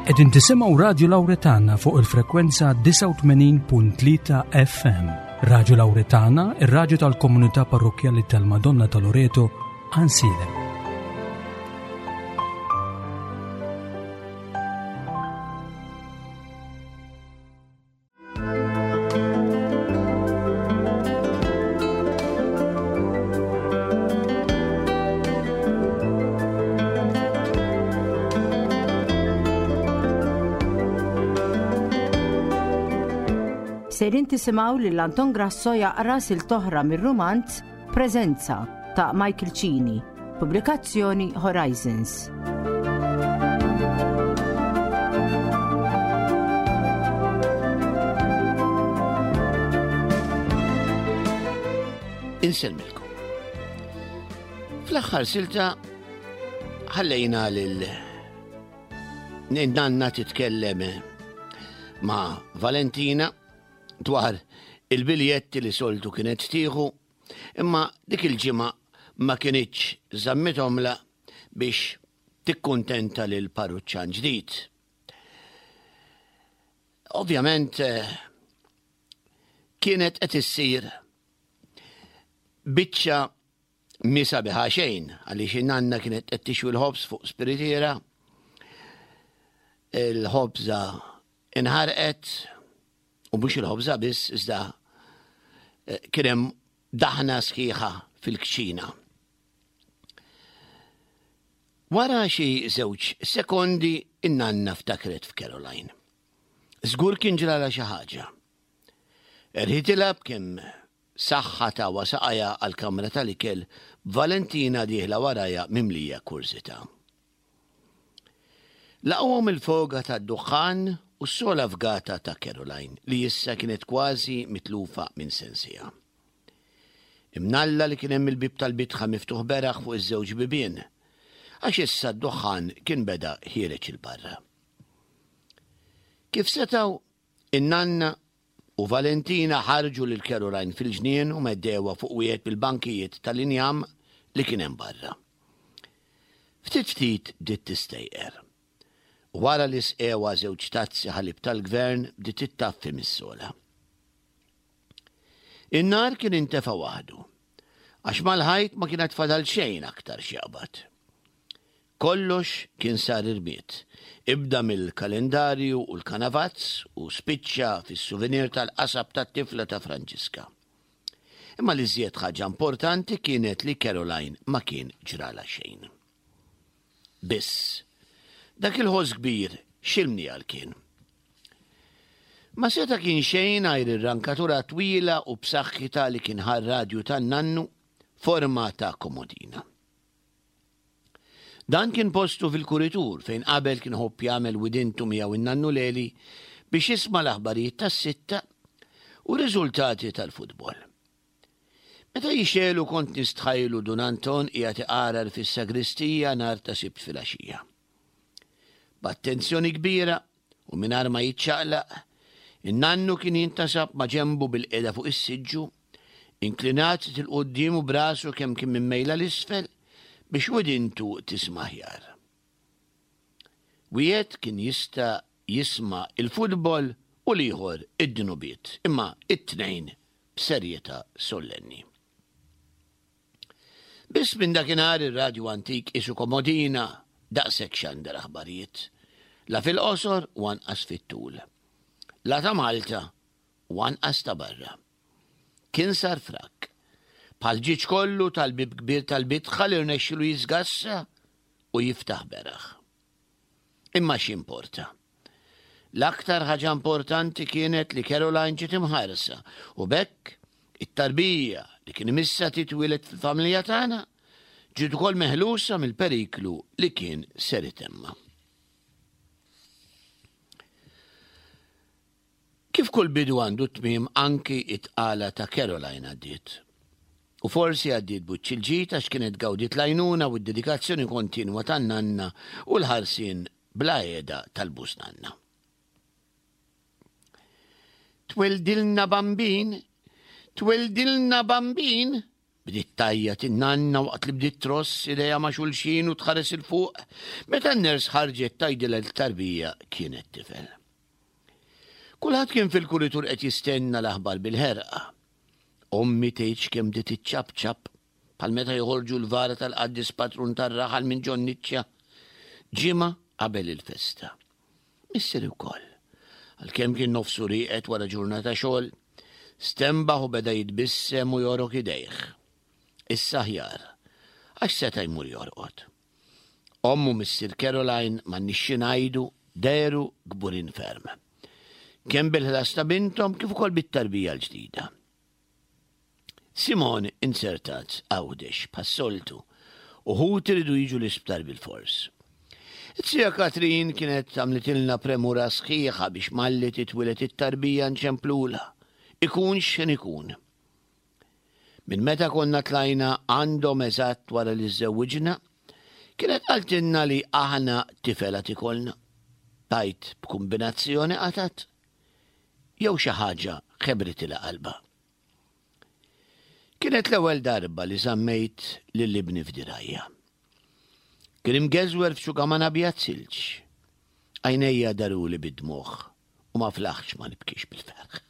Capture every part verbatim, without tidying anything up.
Qegħdin tisimgħu Radio Lauretana fuq il-frekwenza disgħa u tmenin punt tlieta F M. Radio Lauretana, ir-radju tal-komunità parrokkjali tal-Madonna ta' Loreto, Għajnsielem. Sejrin tisimgħu lil Anton Grasso jaqra silta oħra mir-rumanz Preżenza ta' Michael Cini, pubblikazzjoni Horizons. Insellmilkom. Fl-aħħar silta ħallejna lil nanna titkellem ma' Valentina dwar il-biljetti li soltu kienet tieħu, imma dik il-ġimgħa ma kinitx żammithomla biex tikkuntenta lil parruċċan ġdid. Ovvjament, eh, kienet qed issir biċċa misa biħa xejn, għaliex in-nanna kienet qed tixwi l-ħobż fuq spiritiera, il-ħobża inħarqet, u mhux il-ħobża biss, iżda, eh, kien hemm daħna sħiħa fil-kċina. Wara xi żewġ sekondi in-nanna ftakret f'Caroline. Żgur kien ġrala xi ħaġa. Erħitilha b'kemm saħħa ta' wasaqajha għall-kamra tal-ikel, Valentina dieħla warajha mimlija kurżità. Laqgħuhom il-foga tad-duħħan u s-sola fgata ta' Caroline li issa kienet kważi mitlufa minn sensiha. Imnalla li kien hemm il-bib tal-bitħa miftuħ beraħ fuq iż-żewġ bibien, għax issa d-duħħan kien beda ħiereġ il-barra. Kif setgħu, in-nanna u Valentina ħarġu lil Caroline fil-ġnien u meddewha fuq wieħed mill-bankijiet tal-injam li kien hemm barra. Ftit ftit bdiet tistejqer. Wara li sqewha żewġ tazzi ħalib tal-gvern bdiet ittaffi mis-sola. In-nar kien intefa' waħdu, għax mal-ħajt ma kienet fadal xejn aktar x'jaqbad. Kollox kien sar irmied, ibda mill-kalendarju u l-kanavazz u spiċċa fis-souvenir tal-qasab tat-tifla ta' Franġiska. Imma li żjed ħaġa importanti kienet li Caroline ma kien ġrala xejn. Biss, dak il-ħoss kbir x'ilmni għal kien. Ma seta' kien xejn għajr ir-rankatura twila u b'saħħitha li kien ħar radju tan-nannu forma ta' komodina. Dan kien postu fil-kuritur fejn qabel kien ħobb jagħmel widintu miegħu in-nannu Leli biex jisma' l-aħbarijiet tas-sitta u riżultati tal-futbol. Meta jixelu kont nistħajlu Dun Anton qiegħed iqarar fis-sagristija nhar ta' Sibt filgħaxija. B'attenzjoni kbira u mingħajr ma jiċċaqlaq, in-nannu kien jintasab ma' ġembu bil-qiegħda fuq is-siġġu, inklinat 'il quddiem u brasu kemm kien mimmejla l-isfel biex widintu tisma' aħjar. Wieħed kien jista' jisma' il-futbol u l-ieħor id-dnubiet, imma it-tnejn b'serjetà sollenni. Biss minn dakinhar ir-radju antik isu komodina daqshekk xandar aħbarijiet, la fil-qosor u anqas fit-tul, la ta' Malta u anqas ta' barra. Kien sar frak, bħal ġieġ kollu tal-bib kbir tal-bitħa li rnexxilu jiżgassa u jiftaħ beraħ. Imma x'importa? L-aktar ħaġa importanti kienet li Caroline ġiet imħarsa u b'hekk it-tarbija li kien imissa titwieled fil-familja tagħna ġiet ukoll meħlusa mill-periklu li kien ser itemma. Kif kull bidu għandu tmiem, anki it-tqala ta' Caroline għaddiet. U forsi għaddiet buċċ il-ġid għax kienet gawdiet l-għajnuna u d-dedikazzjoni kontinwa tan-nanna u l-ħarsien bla qiegħda tal-busnanna. Twildilna bambin, twildilna bambin, Bdiet tgħajjat in-nanna waqt li bdiet tross idejha ma' xulxin u tħares 'il fuq meta n-ners ħarġet tgħidilha li t-tarbija kienet tifel. Kulħadd kien fil-kuritur qed jistenna l-aħbar bil-ħerqa. Ommi tgħidx kemm bdiet iċċapċap bħal meta joħorġu l-vara tal-qaddis patrun tar-raħal minn ġon-niċċa ġimgħa qabel il-festa. Missieri wkoll, għalkemm kien nofsu rieqed wara ġurnata xogħol, stenbaħ u beda jitbissem u jorok idejh. Issa aħjar, għax seta' jmur jorqod. Ommu missier Caroline m'għandniex xi ngħidu dehru kburin ferm. Kemm bil-ħlas ta' binthom kif ukoll bit-tarbija l-ġdida. Simon inzertat Għawdex bħas-soltu u ħuti riedu jiġu l-isptar bilfors. It-tija Katrin kienet għamlitilna premura sħiħa biex malli titwieled it-tarbija nċemplulha, ikun x'ħin ikun. Minn meta konna tlajna għandhom eżatt wara li żżewwiġna, kienet qaltilna li aħna tifel għad ikollna. Tgħid b'kumbinazzjoni qatat jew xi ħaġa ħebritilha qalbha. Kienet l-ewwel darba li żammejt lil ibni f'dirajja. Kien imgeżwer f'xugaman abjad silġ. Għajnejja daruli bid-dmugħ u ma flaħtx ma nibkix bil-ferħ.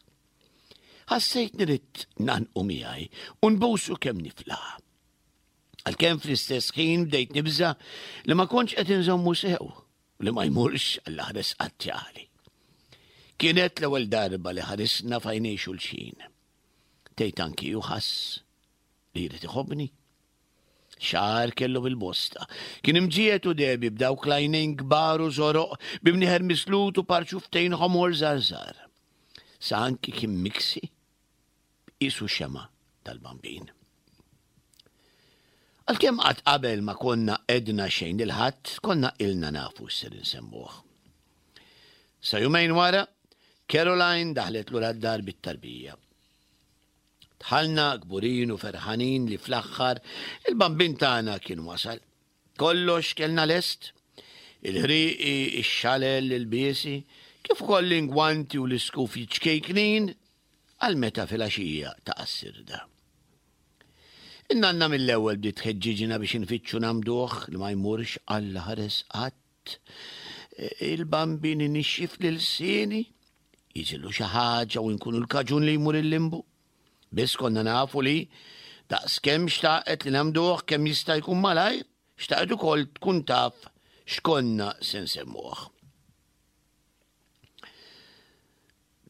Ħassejt nrid ngħannqu miegħi u nbusu kemm niflaħ. Għalkemm fl-istess ħin bdejt nibża' li ma kontx qed inżommu sew u li ma jmurx għall-aħres qatt jagħli. Kienet l-ewwel darba li ħarisna f'għajnejn xulxin. Tgħid anki hu ħass li jrid iħobbni. Xagħar kellu bil-bosta. Kien imġiegħed u dehbi b'dawk l-għajnejn kbar u żoroq b'imnieħer mislut u par xufftejn ħomor żgħar. Sa anki kien miksi qisu xema' tal-bambin. Għalkemm qatt qabel ma konna għedna xejn lil ħadd, konna ilna nafu x'ser insemmuh. Sa jumejn wara, Caroline daħlet lura d-dar bit-tarbija. Dħalna kburin u ferħanin li fl-aħħar il-bambin tagħna kien wasal. Kollox kellna lest, il-ħriqi, ix-xalel, il-biesi, kif ukoll l-ingwanti u l-iskufi ċkejknin għal meta filgħaxija taqa' s-sirda. In-nanna mill-ewwel bdiet tħeġġiġna biex infittxu nagħmduh li ma jmurx Alla ħares qatt. Il-bambin inixxif lil lsieni, jiġilu xi ħaġa u nkunu l-kaġun li jmur il-limbu. Biss konna nafu li daqskemm xtaqet li nagħmduh kemm jista' jkun malajr, xtaqet ukoll tkun taf x'konna se nsemmuh.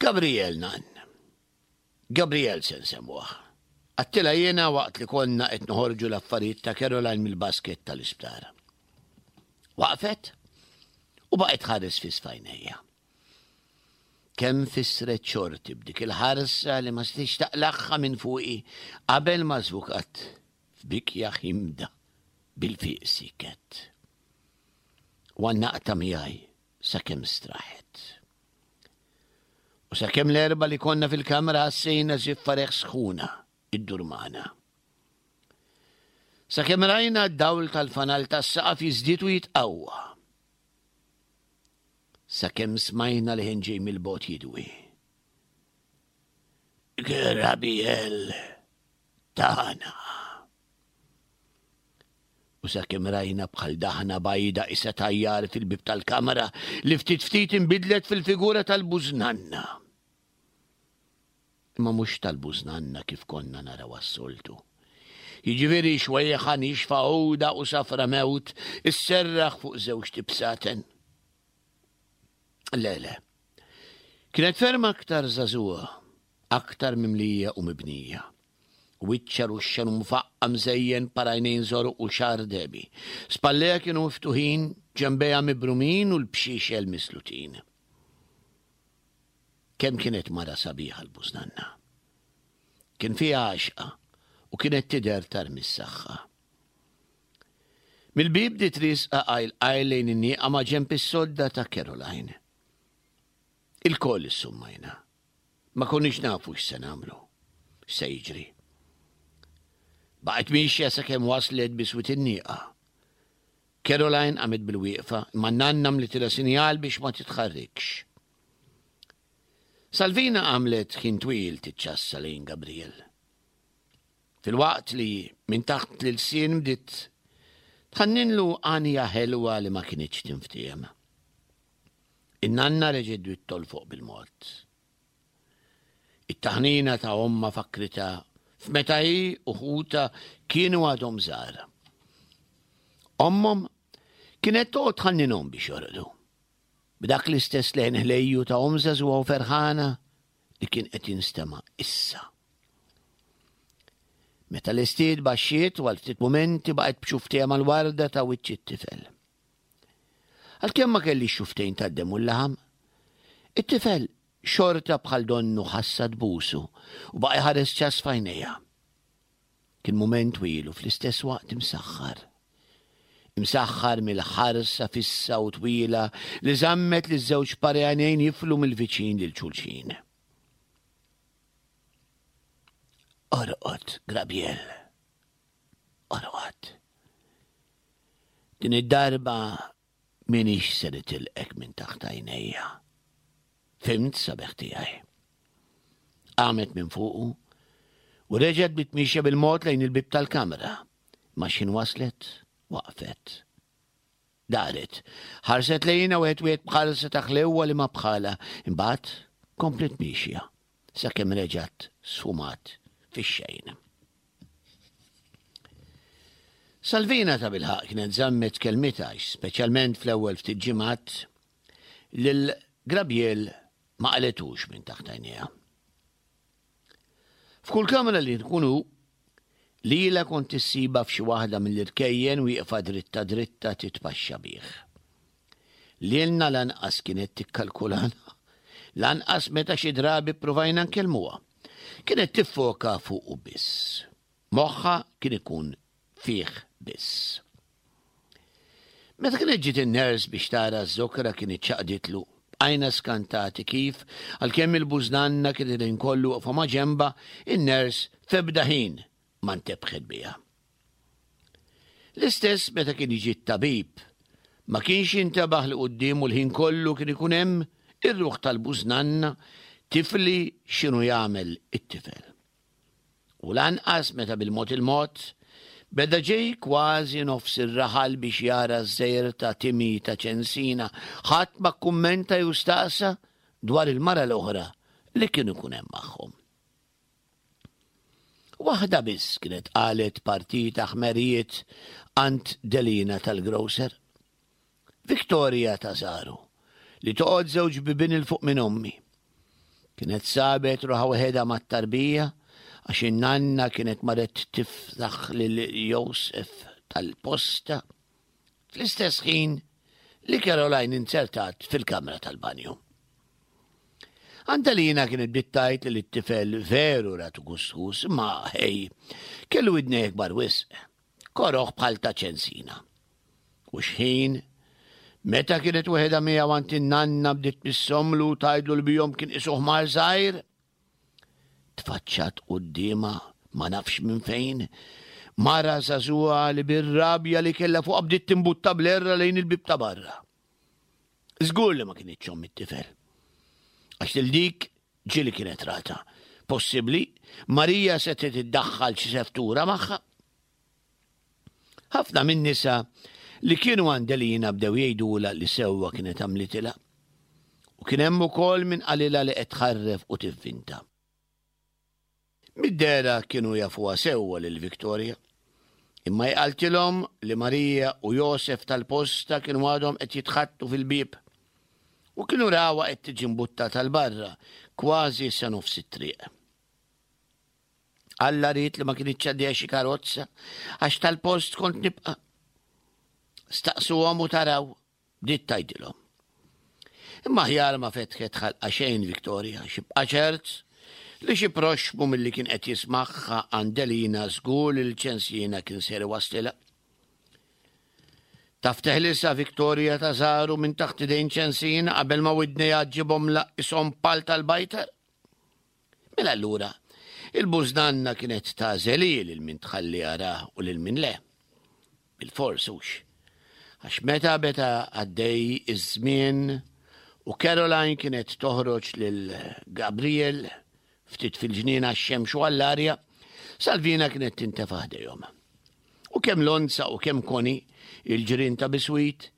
Gabriel nan. Gabriel se nsemmuh. Għedtilha jiena waqt li konna qed noħorġu l-affarijiet ta' Caroline mill-basket tal-isptar. Waqfet u baqgħet ħares fi sfajnejja. Kemm fissret xorti b'dik il-ħarsa li ma setgħetx taqlagħha minn fuqi qabel ma żvukat f'bikja ħimda bil-fiq siket. U għannaqta miegħi sakemm straħet. U sakemm l-erba li konna fil-kamra ħassejna żiffa reħ sħuna iddur magħna. Sakemm rajna d-dawl tal-fanal tas-saqaf jiżdied u jitqawwa. Sakemm smajna li ħin ġej mill-bogħod jidwi. Gabriel tagħna. U sakemm rajna bħal daħna bajda isa tajjar fil-bib tal-kamra li ftit ftit inbidlet fil-figura tal-bużnanna. Imma mhux tal-bużnanna kif konna naraw għas-soltu. Jiġifieri xwejħa nixfa għuda u safra mewt isserraħ fuq żewġ tibsaten. Le, le. Kienet ferm aktar żagħżugħa, aktar mimlija u mibnija. Wiċċha ruxxan u mfaqqa mżejjen parajnejn żoroq u xagħar dehbi. Spallejha kienu miftuħin, ġenbejha mibrumin u l-bxiexel mislutin. Kemm kienet mara sabiħa l-bużnanna. Kien fiha għaxqa u kienet tidher tarmi s-saħħa. Mill-bib bdiet riesqa qajl qajl lejn in-nieqa ma' ġenb is-sodda ta' Caroline. Ilkoll issummajna. Ma konniex nafu x'se nagħmlu, x'se jiġri. Baqgħet miexja sakemm waslet biswit in-nieqa. Caroline qamet bil-wieqfa, imma n-nanna mlitilha sinjal biex ma titħarrikx. Salvina għamlet ħin twil tiċċassa lejn Gabriel. Filwaqt li minn taħt l-ilsien bdiet tħanninlu għanja ħelwa li ma kinitx tinftiehem. In-nanna reġgħet bdiet tolfoq bil-mod. It-taħnina ta' ommha fakkritha f'meta hi u ħutha kienu għadhom żgħar. Ommhom kienet toqgħod tħanninhom biex jorqdu. B'dak l-istess leħen ħlejju ta' omm żagħżugħa u ferħana li kien qed jinstema' issa. Meta lestiet baxxiet u għal ftit mumenti baqgħet b'xufftejha mal-warda ta' wiċċ it-tifel. Għalkemm ma kellhiex xufftejn tad-demm u l-laħam, it-tifel xorta bħal donnu ħassha tbusu u baqa' jħares ċass f'għajnejha. Kien mument twil u fl-istess waqt imsaħħar. Imsaħħar mill-ħarsa fissa u twila li żammet li żewġ pari għajnejn jiflu mill-viċin lil xulxin. Orqod, Grabiel. Orqod. Din id-darba minix se nitilqek minn taħt għajnejja. Fhimt, sabiħ tiegħi. Qamet minn fuqu u reġgħet bdiet miexja bil-mod lejn il-bieb tal-kamra. Ma x'ħin waslet, waqfet. Daret, ħarset lejna wieħed wieħed b'ħarsa ta' ħlewwa li ma bħala, imbagħad kompliet miexja sakemm reġgħet sfumat fix-xejn. Salvina ta' bilħaq kienet żammet kelmitha għax, speċjalment fl-ewwel ftit ġimgħat, lil Grabiel ma qaletux minn taħt għajnejha. F'kull kamra li tkun hu, lilha kont issibha f'xi waħda mill-irkejjen wieqfa dritta dritta titpaxxa bih. Lilna lanqas kienet tikkalkulana, lanqas meta xi drabi ppruvajna nkellmuha. Kienet tiffoka fuqu biss. Moħħha kien ikun fih biss. Meta kienet ġiet in-nurse biex tara ż-żokra kien iċċaqditlu. Bqajna skantati kif, għalkemm il-bużnanna kien il-ħin kollu waqfa ma' ġenbha, in-nurse f'ebda ħin ma ntebħet biha. L-istess meta kien jiġi t-tabib, ma kienx jintebaħ li quddiemu l-ħin kollu kien ikun hemm ir-ruħ tal-bużnanna tifli x'inhu jagħmel it-tifel. U lanqas meta bil-mod il-mod beda ġej kważi nofs ir-raħal biex jara ż-żejr ta' Timi ta' Ċensina, ħadd ma kkummenta jew staqsa dwar il-mara l-oħra li kien ikun hemm magħhom. Waħda biss kienet qalet partita ħmerijiet għand Delina tal-grocer. Victoria ta' Zaru, li toqgħod żewġ bibien 'il fuq minn ommi. Kienet sabet ruħha waħedha mat-tarbija għax in-nanna kienet marret tiftaħ lil Josef tal-posta fl-istess ħin li Caroline inzertat fil-kamra tal-banju. Antalina kienet bdiet tgħid li t-tifel veru ratu gustus, ma ħej, kellu widnejh kbar wisq, koroh bħal ta' ċensina. U xħin, meta kienet weħedha miegħu għand in-nanna bdiet tmissomlu u tgħidlu li bihom kien isuh mar żgħir, tfaċċat quddiemha ma nafx minn fejn, mara żagħżugħa li bir-rabja li kellha fuqha bdiet timbutta bl-erra lejn il-bieb ta' barra. Żgur li ma kinitx omm it-tifel. Għax lil dik ġieli kienet rata. Possibbli Marija setgħet iddaħħal xi seftura magħha. Ħafna min-nisa li kienu għand Elina bdew jgħidulha li sewwa kienet għamlitilha. U kien hemm ukoll min qalilha li qed tħarref u tivvinta. Mid-dehra kienu jafuha sewwa lil Victoria. Imma hi qaltilhom li Marija u Josef tal-posta kienu għadhom qed jitħattu fil-bieb. U kienu rawha qed tiġi mbuttata 'l barra, kważi sa nofs it-triq. Alla ried li ma kinitx għaddejja xi karozza, għax tal-post kont nibqa'. Staqsuhom u taraw, bdiet tgħidilhom. Imma aħjar ma fetħet ħalqa xejn Victoria, xi bqa' ċert li xi proxxmu milli kien qed jismagħha għand Delina żgur li l-ċensina kien ser iwaslilha. Taf teħlisha Victoria ta' Zaru minn taħt idejn ċensina qabel ma widnejha ġġibhom laqqishom pal tal-bajtar? Mela allura, il-bużnanna kienet tagħżel hi lil min tħalli jarah u lil min le. Bil-fors hux. Għax meta beda għaddej iż-żmien u Caroline kienet toħroġ lil Gabriel ftit fil-ġnien għax-xemx u għall-arja, Salvina kienet tintefa' ħdejhom. U kemm Lonza u kemm Koni, il-ġirien ta' biswit,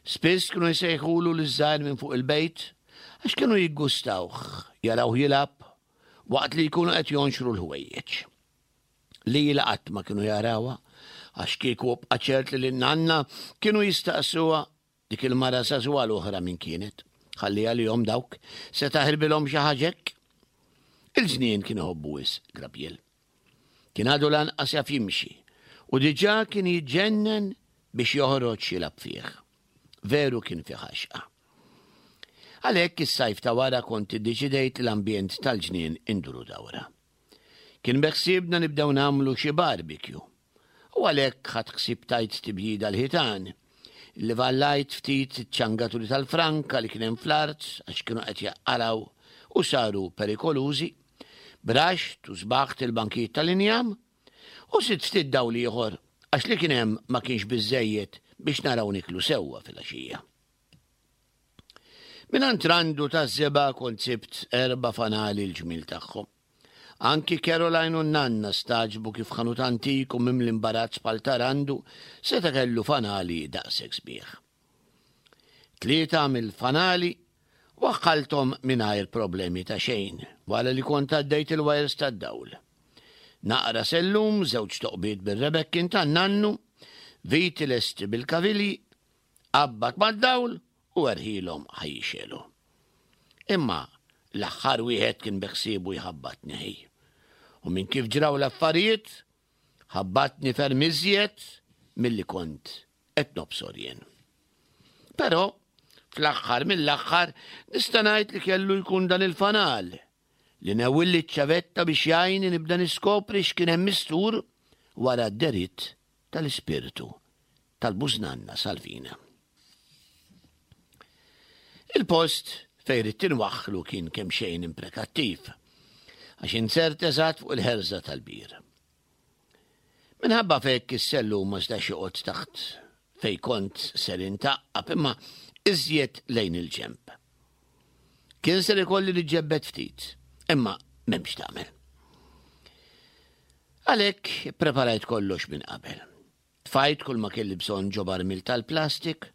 spiss kienu jsejħulu liż-żgħir minn fuq il-bejt għax kienu jiggustawh jarawh jilgħab waqt li jkunu qed jonxru l-ħwejjeġ. Lila qatt ma kienu jarawha għax kieku bqa' ċert li lin-nanna kienu jistaqsuha dik il-mara żagħżugħa l-oħra min kienet. Ħalli għalihom dawk se taħirbilhom xi ħaġa hekk. Il-ġnien kien iħobbu wisq Grabiel. Kien għadu lanqas jaf jimxi u diġà kien jiġġennen biex joħroġ jilgħab fih. Veru kien fih għaxqa. Għalhekk is-sajf ta' wara kont iddeċidejt li l-ambjent tal-ġnien induru dawra. Kien beħsiebna nibdew nagħmlu xi barbecue. U għalhekk ħadt ħsieb tajt tibjida l-ħitan. Livallajt ftit iċ-ċangaturi tal-franka li kien hemm fl-art għax kienu qed jaqalgħu u saru perikolużi. Braxt u sbaħt il-bankijiet tal-injam u sitt ftit dawl ieħor għax li kien hemm ma kienx biżżejjed biex naraw niklu sewwa filgħaxija. Mingħand Randu taż-żebgħa kont sibt erba' fanali l-ġmiel tagħhom. Anki Caroline u n-nanna stagħġbu kif ħanut antik u mimli imbarazz bħal ta' Randu seta' kellu fanali daqshekk sbieħ. Tlieta mill-fanali waħħalthom mingħajr problemi ta' xejn wara li kont għaddejt il-wires tad-dawl. Naqra sellum, żewġ toqbiet bir-rebekkin tan-nannu, viti lesti bil-kavilji, qabbat mad-dawl u erħilhom ħa jixegħlu. Imma l-aħħar wieħed kien beħsiebu jħabbatni ħej. U minn kif ġraw l-affarijiet, ħabbatni ferm iżjed milli kont qed nobsor jien. Però fl-aħħar mill-aħħar nista' ngħid li kellu jkun dan il-fanal li newwilli ċ-ċavetta biex jgħinni nibda niskopri x'kien hemm mistur wara d-deritt tal-ispirtu tal-bużnanna Salvina. Il-post fejn ridt inwaħħlu kien kemxejn imprekattiv, għax insert eżatt fuq il-ħerża tal-bir. Minħabba f'hekk is-sellum ma setax joqgħod taħt fejn kont ser intaqqab imma iżjed lejn il-ġenb. Kien ser ikolli niġġebbed ftit, imma m'hemmx tagħmel. Għalhekk preparajt kollox minn qabel. Tfajt kull ma kelli bżonn ġo barmil tal-plastik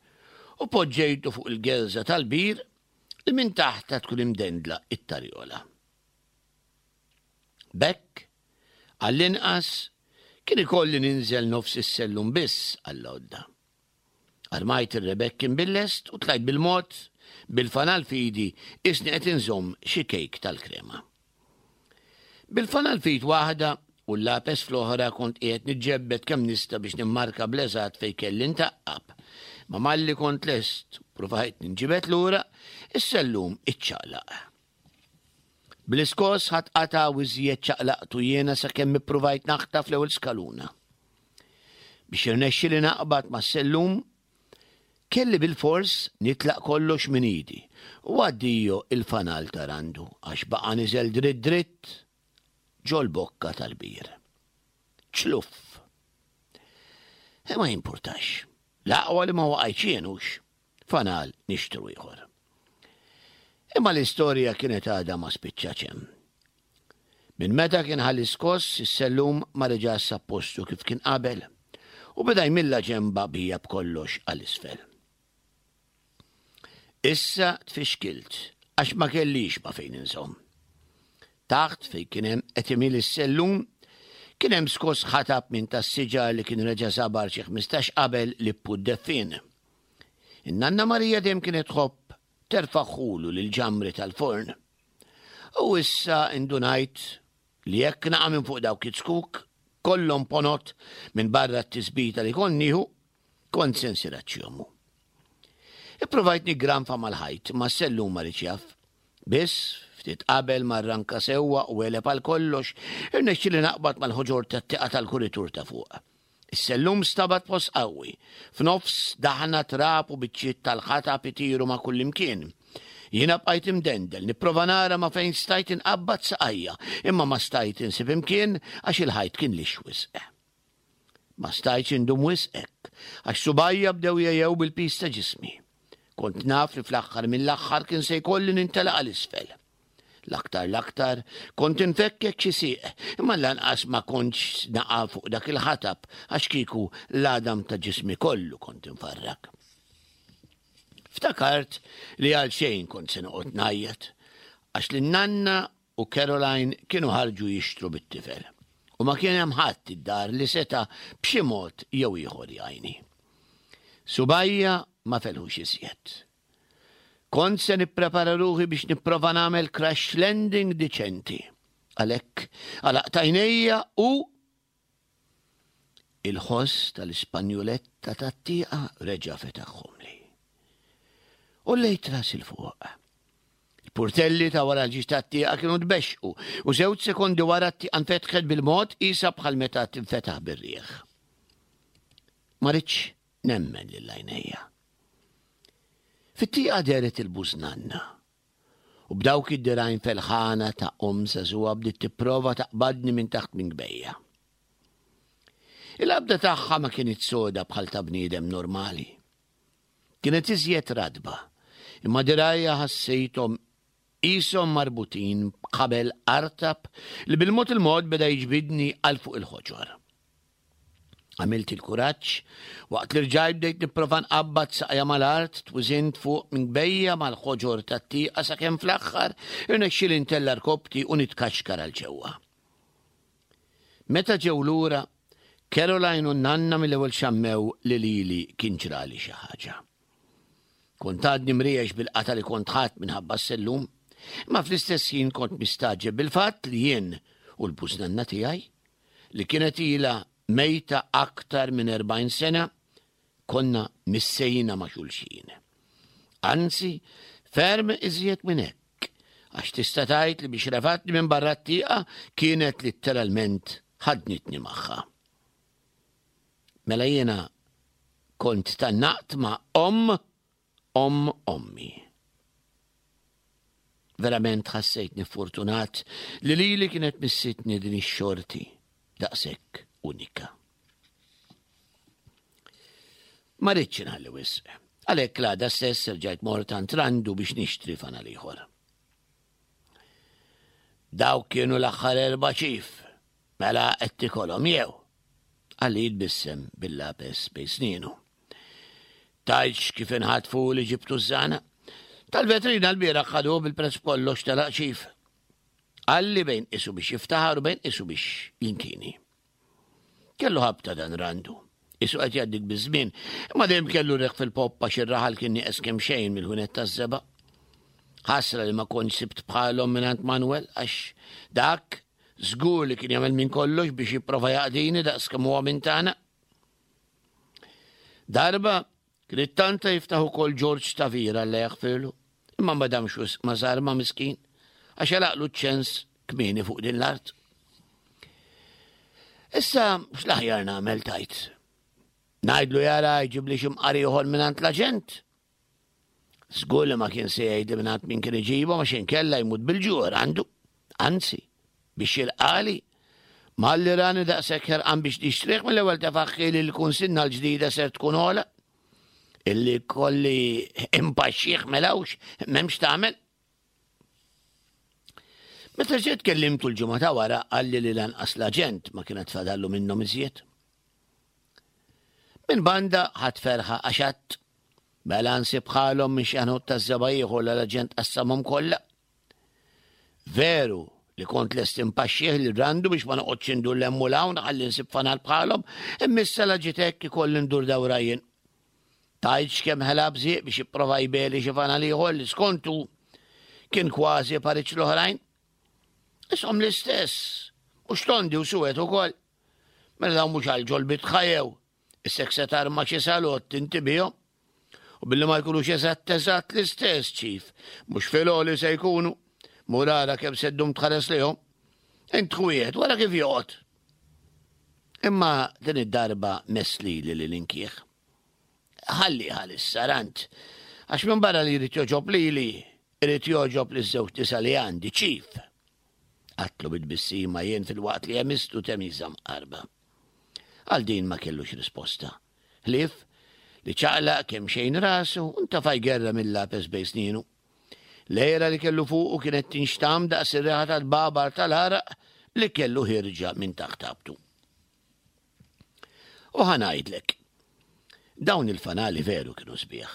u poġġejtu fuq il-gelża tal-bir li minn taħta tkun imdendla it-tarjola. B'hekk, għall-inqas, kien ikolli ninżel nofs is-sellum biss għall-għodda. Armajt ir-rebekkin bil-lest u tlajt bil-mod bil-fanal f'idi isni qed inżomm xi kejk tal-krema. Bil-fanal f'id waħda u l-lapes fl-oħra kont qiegħed niġġebbed kemm nista' biex nimmarka bl-eżatt fejn kelli ntaqqab. Ma malli kont lest provajt ninġibed lura, is-sellum iċċaqlaq. Bl-iskos ħadd qata' u iżjed ċaqlaqtu jiena sakemm ippruvajt naħtaf l-ewwel skaluna. Biex irnexxieli naqbad mas-sellum, kelli bil-fors nitlaq kollox minn idi u addio il-fanal ta' Randu għax baqa' niżel dritt dritt ġol-bokka tal-bir. Ċluff. E ma jimpurtax. L-aqwa li ma waqajtx jien hux. Fanal nixtru ieħor. Imma l-istorja kienet għadha ma spiċċatx hemm. Minn meta kien ħalli skoss, is-sellum ma reġax sab postu kif kien qabel u beda jmilla ġemba bija b'kollox għal isfel. Issa tfixkilt għax ma kellix ma fejn inżomm. Taħt fejn kien hemm qed imil is-sellum kien hemm skoss ħatab minn tas-siġar li kien reġa' sabar xi ħmistax qabel li ppuddeffien. In-nanna Marija dejjem kienet tħobb terfaħħulu lil ġamri tal-forn. U issa indunajt li jekk naqa' minn fuq dawk it-zkuk kollhom ponot minn barra t-tisbita li kont nieħu, kont se nsir aċċjomu. Ipprovajt niggranfa mal-ħajt, ma s-sellum ma riedx jaf. Biss, ftit qabel ma rranka sewwa u għeleb għal kollox, irnexxieli naqbad mal-ħoġor tat-tieqa tal-kuritur ta' fuq. Is-sellum stabat post qawwi, f'nofs daħna trab u biċċiet tal-ħatab itiru ma' kullimkien. Jiena bqajt imdendel, nipprova nara ma' fejn stajt inqabbad saqajja, imma ma stajt insib imkien għax il-ħajt kien lixx wisq. Ma stajtx indum wisq hekk, għax subgħajja bdew jgħejjew bil-piż ta' ġismi. Kont naf li fl-aħħar mill-aħħar kien se jkolli nintelaq għal isfel. L-aktar l-aktar kont infekkek xi sieq, imma lanqas ma kontx naqa' fuq dak il-ħatab għax kieku l-għadam ta' ġismi kollu kont infarrak. Ftakart li għal xejn kont se noqgħod ngħajjat għax li nanna u Caroline kienu ħarġu jixtru bit-tifel. U ma kien hemm ħadd id-dar li seta' b'xi mod jew ieħor jgħinni. Subgħajja ma felħux iżjed. Kont se nipprepara ruħi biex nipprova nagħmel crash landing diċenti. Għalhekk għalaqt għajnejja u il-ħoss tal-Ispanjuletta tat-tieqa reġa' fetaħhomli. U għollejt rasi 'l fuq. Il-purtelli ta' wara l-ġieġ tat-tieqa kienu tbexxqu u żewġ sekondi wara t-tieqa nfetħet bil-mod qisha bħal meta tinfetaħ bir-riħ. Ma ridtx nemmen lil għajnejja. Fit-tieqa dehret il-bużnanna u b'dawk id-dirgħajn felħana ta' omm żagħżugħa bdiet tipprova taqbadni minn taħt minkbejja. Il-qabda tagħha ma kienet soda bħal ta' bniedem normali. Kienet iżjed ratba, imma dirgħajha ħassejthom qishom marbutin b'ħabel artab li bil-mod il-mod beda jiġbidni għal fuq il-ħoġor. Għamilt il-kuraġġ, waqt li rġajt bdejt nipprova nqabbad saqajja mal-art, twiżint fuq minkbejja mal-ħoġor tat-tieqa sakemm fl-aħħar irnexxieli ntella' rkoppti u nitkaxkar għal ġewwa. Meta ġew lura, Caroline u nanna mill-ewwel xammew li lili kien ġrali xi ħaġa. Kont għadni mriex bil-qata li kont ħadt minħabba s-sellum, imma fl-istess ħin kont mistagħġeb bil-fatt li jien u l-bużnanna tiegħi li kienet ilha mejta aktar minn erbgħin sena, konna missejna ma' xulxin. Anzi, ferm iżjed minn hekk, għax tista' tgħid li biex refatni minn barra t-tieqa kienet litteralment ħadnitni magħha. Mela jiena kont tgħannaqt ma' omm omm ommi. Verament ħassejtni fortunat li lili kienet missitni din ix-xorti daqshekk unika. Ma ridtx inħalli wisq. Għalhekk l-għada stess rġajt mort għand Randu biex nixtri fanal ieħor. Dawk kienu l-aħħar erba' ċif, mela qed tikolhom jew. Qalli jitbissem bil-lapes bejn snienu. Tgħidx kif inħatfu li ġibtu ż-żana. Tal-vetrina l-bieraħ ħaduh bil-prezz kollox telaq ċif. Qalli bejn isu biex jiftaħar u bejn isu biex jinkini. Kellu ħabta dan Randu. Isu qed jgħaddik biż-żmien, imma dejjem kellu reħ fil-poppa xi raħal kien nieqes kemm xejn mill-ħunet taż-żebgħa. Ħasra li ma kontx sibt bħalhom mingħand Manuel għax dak żgur li kien jagħmel minn kollox biex jipprova jaqdini daqs kemm huwa minn tagħna. Darba kien ittanta jiftaħ ukoll George Tavira li jaħfirlu, imma ma damx wisq ma sar ma' miskin għax għalaqlu ċ-ċens kmieni fuq din l-art. Issa x'l-aħjar nagħmel tajt? Ngħidlu jara jġibli xi mqar ieħor mingħand l-aġent. Żgur li ma kien se jgħidli mingħand min kien iġibhom għax inkella jmut bil-ġuħ għandu. Anzi, biex jilqali, malli rani daqshekk ħerqan biex nixtrih mill-ewwel tefaħħi li l-kunsinna l-ġdida ser tkun ogħla. Illi kolli impaxxih melawx, m'hemmx tagħmel. Meta ġiet kellimtu l-ġimgħa ta' wara qalli li lanqas l-aġent ma kienet fadallu minnhom iżjed. Minn banda ħadd ferħa għax għadd mela nsib bħalhom minn xi ħanut taż-żebgħa ieħor l l-aġent qassamhom kollha. Veru li kont lest impaxxih li randu biex ma noqgħodx indur 'l hemm u 'l hawn ħalli nsib fanal bħalhom, imma issa la ġiet hekk ikolli ndur dawra jien. Tgħidx kemm ħela bżieq biex jipprova jbeli xi fanal ieħor li skontu kien kważi pariċ l-oħrajn. Ishom l-istess, mhux tondi u suwed ukoll. Mela dawn mhux għal ġol bitħajew, issek se tarma xi salott inti bihom. U billi ma jkunux eżatt eżatt l-istess ċif, mhux filgħoli se jkunu, mur ara kemm se ddum tħares lejhom. Int wieħed wara kif joqgħod. Imma din id-darba mess lili li l-inkieħ. Ħalli ħalissa rant, għax minn barra li jrid joġob lili, irid joġob li żewġ nisa li għandi ċif. Għatlu bit-tbissima jien fil-waqt li jemistu temiża mqarba. Għal din ma kellux risposta. Ħlief li ċaqlaq kemm xejn rasu u ntafa' jgerra mill-lapes bejn snienu. L-għira li kellu fuqu kienet tinxtam daqs ir-riħa tal-babar tal-għaraq li kellu ħierġa minn taħt abtu. U ħa ngħidlek, dawn il-fanali veru kienu sbieħ.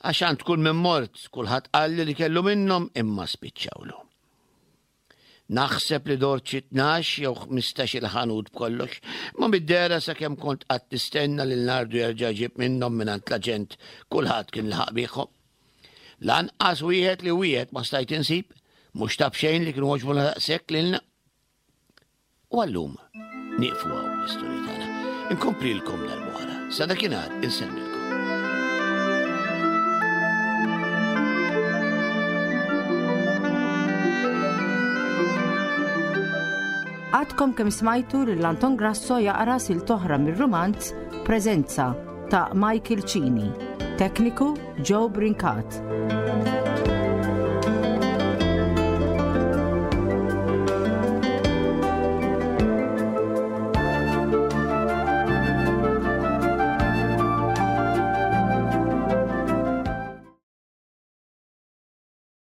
Għax għand kull min mort, kulħadd qalli li kellu minnhom imma spiċċawlu. Naħseb li dort xi tnax jew ħmistax-il ħanut b'kollox, ma mid-dehra sakemm kont qatt nistenna lil Nardu jerġa' jġib minnhom mingħand l-aġent kulħadd kien laħaq biegħhom. Lanqas wieħed li wieħed ma stajt insib, mhux ta' b'xejn li kienu għoġbuna daqshekk lilna. U għallum nieqfu hawn l-istorja tagħna. Inkomplilkom darb'oħra. Sa dakinhar insellmilkom. Għadkom kemm smajtu lil Anton Grasso jaqra silta oħra mir-rumanz Preżenza ta' Michael Cini. Tekniku Joe Brincat.